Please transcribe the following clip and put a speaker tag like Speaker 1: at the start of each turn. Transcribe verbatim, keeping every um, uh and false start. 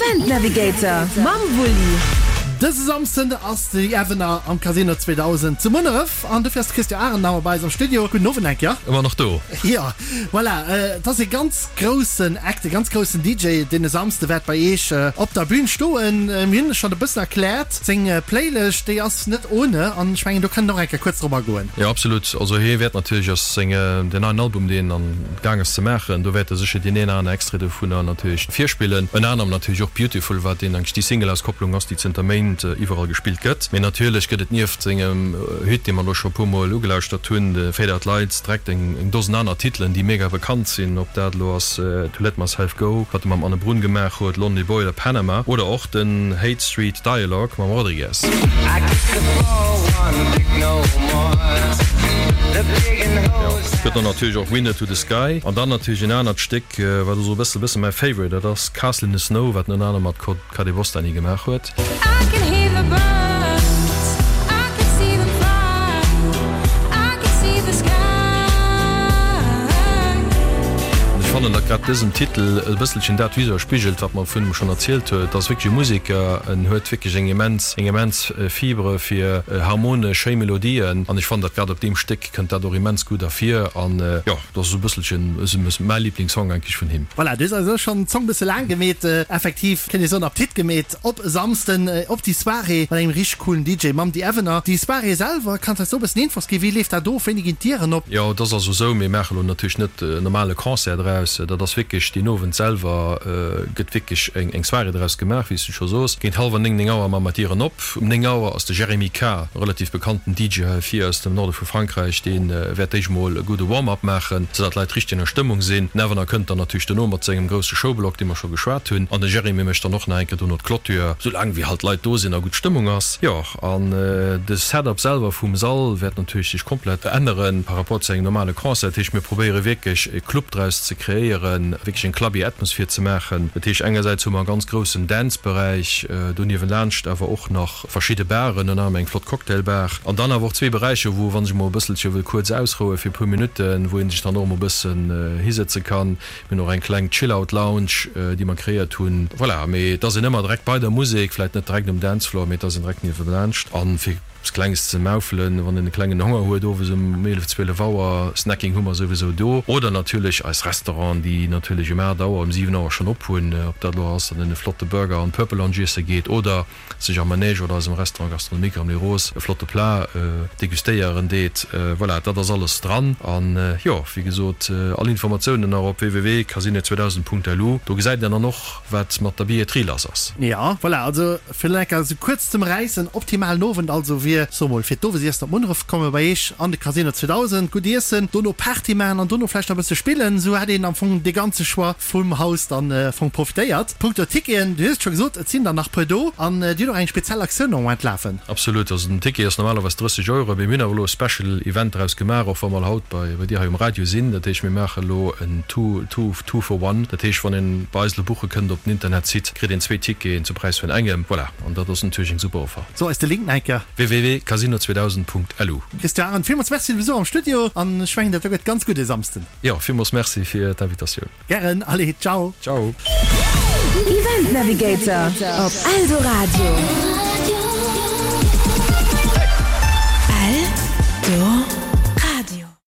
Speaker 1: Event Navigator mam Wulli.
Speaker 2: Dëse Samsden ass The Avener am Casino zweedausend zu Munneref an dofir ass de Christian Arenauer bei eis am Studio. Gudden Owend eng Kéier.
Speaker 3: Ëmmer nach do.
Speaker 2: Jo, voilà, et ass e ganz groussen Act, e ganz groussen D J, deen e Samsde wäert bei Iech op der Bühn stoen. Mir hunn schonn e bëssen erkläert, seng Playlëscht, déi ass net ohne an ech mengen, do kënnt och eng Kéier kuerz drop agoen.
Speaker 3: Jo, absolut. Also hie wäert natierlech aus senge, den neien Album, deen en gaang ass ze maachen, do wäert e sécher deen een aner Extrait dovunner natierlech virspillen. Ënner anerem natierlech och Beautiful, wat deen eigentlech déi Single-Auskopplung ass, déi zënter Méint iwwerall gespillt gëtt. Mee natierlech gëtt et nieft sengem Hit, dee mer elo scho e puer Mol ugelauschtert hunn, de Fade Out Lights, direkt eng Dosen aner Titelen, déi mega bekannt sinn, ob dat elo ass To Let Myself Go, wat e mam Ane Brun gemaach huet, Lonely Boy oder Panama, oder och den Hate Street Dialogue mam Rodriguez. Jo, et gëtt dann natierlech och Window to the Sky an dann natierlech en anert Stéck, wat esou e bësse bësse mäi Favorite, dat ass Castle in the Snow, wat en ënner anerem mat Kadebostany gemaach huet. An ech fannen, datt grad dësen Titel e bësselchen dat widerspigelt, wat mer vun him schonn erzielt huet. Et ass wierklech e Museker, en huet wierklech eng immens, eng immens Fibre fir harmonesch, schéi Melodien. An ech fannen, datt grad op deem Stéck kënnt dat och immens gutt ervir. An jo, dat ass esou e bësselchen esou mäi Liblingssong eigentlech vun him.
Speaker 2: Voilà, du hues eis elo schonn d'Zong bësse laang gemeet, effektiv kéint ee soen Appetit gemeet op e Samsden op déi Soirée mat engem richteg coolen D J, mam The Avener. Déi Soirée selwer, kanns eis do e bëssen Infos ginn? Wéi leeft dat of? Wéini ginn d'Dieren op?
Speaker 3: Jo, et ass also esou, mir maache lo natierlech net en normale Concert draus. Dat ass wierklech deen Owend selwer gëtt wierklech eng Soirée draus gemaach, wéi s du scho soos. Géint hallwer néng, néng Auer maache mer d'Dieren op. Um néng Auer ass de Jérémy K, e relativ bekannten D J hei vir aus dem Norde vu Frankräich, dee wäert d'éischt mol e gudde Warm-up maachen, soudatt d'Leit richteg an der Stëmmung sinn. Den Avener kënnt dann natierlech dono mat sengem grousse Showblock, dee mer scho geschwat hunn. An de Jérémy mécht dann och nach eng Kéier dono d'Clôture, soulaang wéi halt d'Leit do sinn a gutt Stëmmung ass. Jo, an de Setup selwer vum Sall wäert natierlech sech komplett änneren par rapport zu engem normale Concert. Dat heescht, mir probéiere wierklech e Club draus ze kreéieren, wierklech eng clubby Atmosphere ze maachen. Dat heescht, engersäits hu mer e ganz groussen Dance-Beräich, doniewent laanscht awer och nach verschidde Baren, ënner anerem eng flott Cocktailbar. An dann awer och zwee Beräicher, wou, wann sech mol e bësselche wëll kuerz ausroue fir e puer Minutten, wou ee sech dann och mol e bëssen hisëtze kann. Mir hunn och eng kleng Chill-Out-Lounge, déi mer kreéiert hunn. Voilà, mee et ass een ëmmer direkt bei der Musek, vläit net direkt um Dancefloor, mee et ass een direkt niewelaanscht. An fir eppes Klenges ze maufelen, wann een e klengen Honger huet owes um eelef, zwielef Auer, Snacking hu mer souwisou do. Oder natierlech eis Restauranten, déi natierlech um aacht Auer, um siwen Auer schonn op hunn. Ob dat elo ass, datt een e flotte Burger an Purple Lounge iesse geet oder sech am Manège oder eisem Restaurant gastronomique am Les Roses e flotte Plat degustéieren deet. Voilà, dat ass alles dran. An jo, wéi gesot, all Informatiounen nach op w w w punkt casino zweedausend punkt l u. Do gesäit een dann och, wat mat der Billetterie lass ass.
Speaker 2: Jo, voilà, also fir lecker esou kuerz ze ëmräissen, optimalen Owend also wier, so mol, fir d'Owesiessen op Munneref komme bei Iech an de Casino zweedausend, gutt iessen, dono Party maachen an dono vläicht nach e bësse spillen. Esou hätt een am Fong dee ganze Choix vum Haus dann Fong profitéiert. Punkto Ticketen, du hues et scho gesot, et sinn der nach puer do an Dir hutt och eng speziell Aktioun am Moment lafen.
Speaker 3: Absolut, also den Ticket ass normalerweis drësseg Euro, mee mir hunn awer elo e Special Event draus gemaach, och wa mer haut bei bei dir hei um Radio sinn. Dat heescht, mir maache elo en Two, two, two for one. Dat heescht, wann een bei eis elo buche kënnt op den Internetsite, kritt een zwee Ticketen zum Präis vun engem. Voilà, an dat ass natierlech eng super Offer.
Speaker 2: So eis de Link nach eng Kéier.
Speaker 3: w w w punkt casino zweedausend punkt l u.
Speaker 2: Christian Arendt, villmools Merci fir de Besuch am Studio an ech mengen, dat do gëtt ganz gutt e Samsden.
Speaker 3: Jo, villmools Merci fir d'Invitatioun.
Speaker 2: Gären, allez, ciao.
Speaker 3: Ciao.
Speaker 1: Event Navigator op Eldoradio. Eldoradio.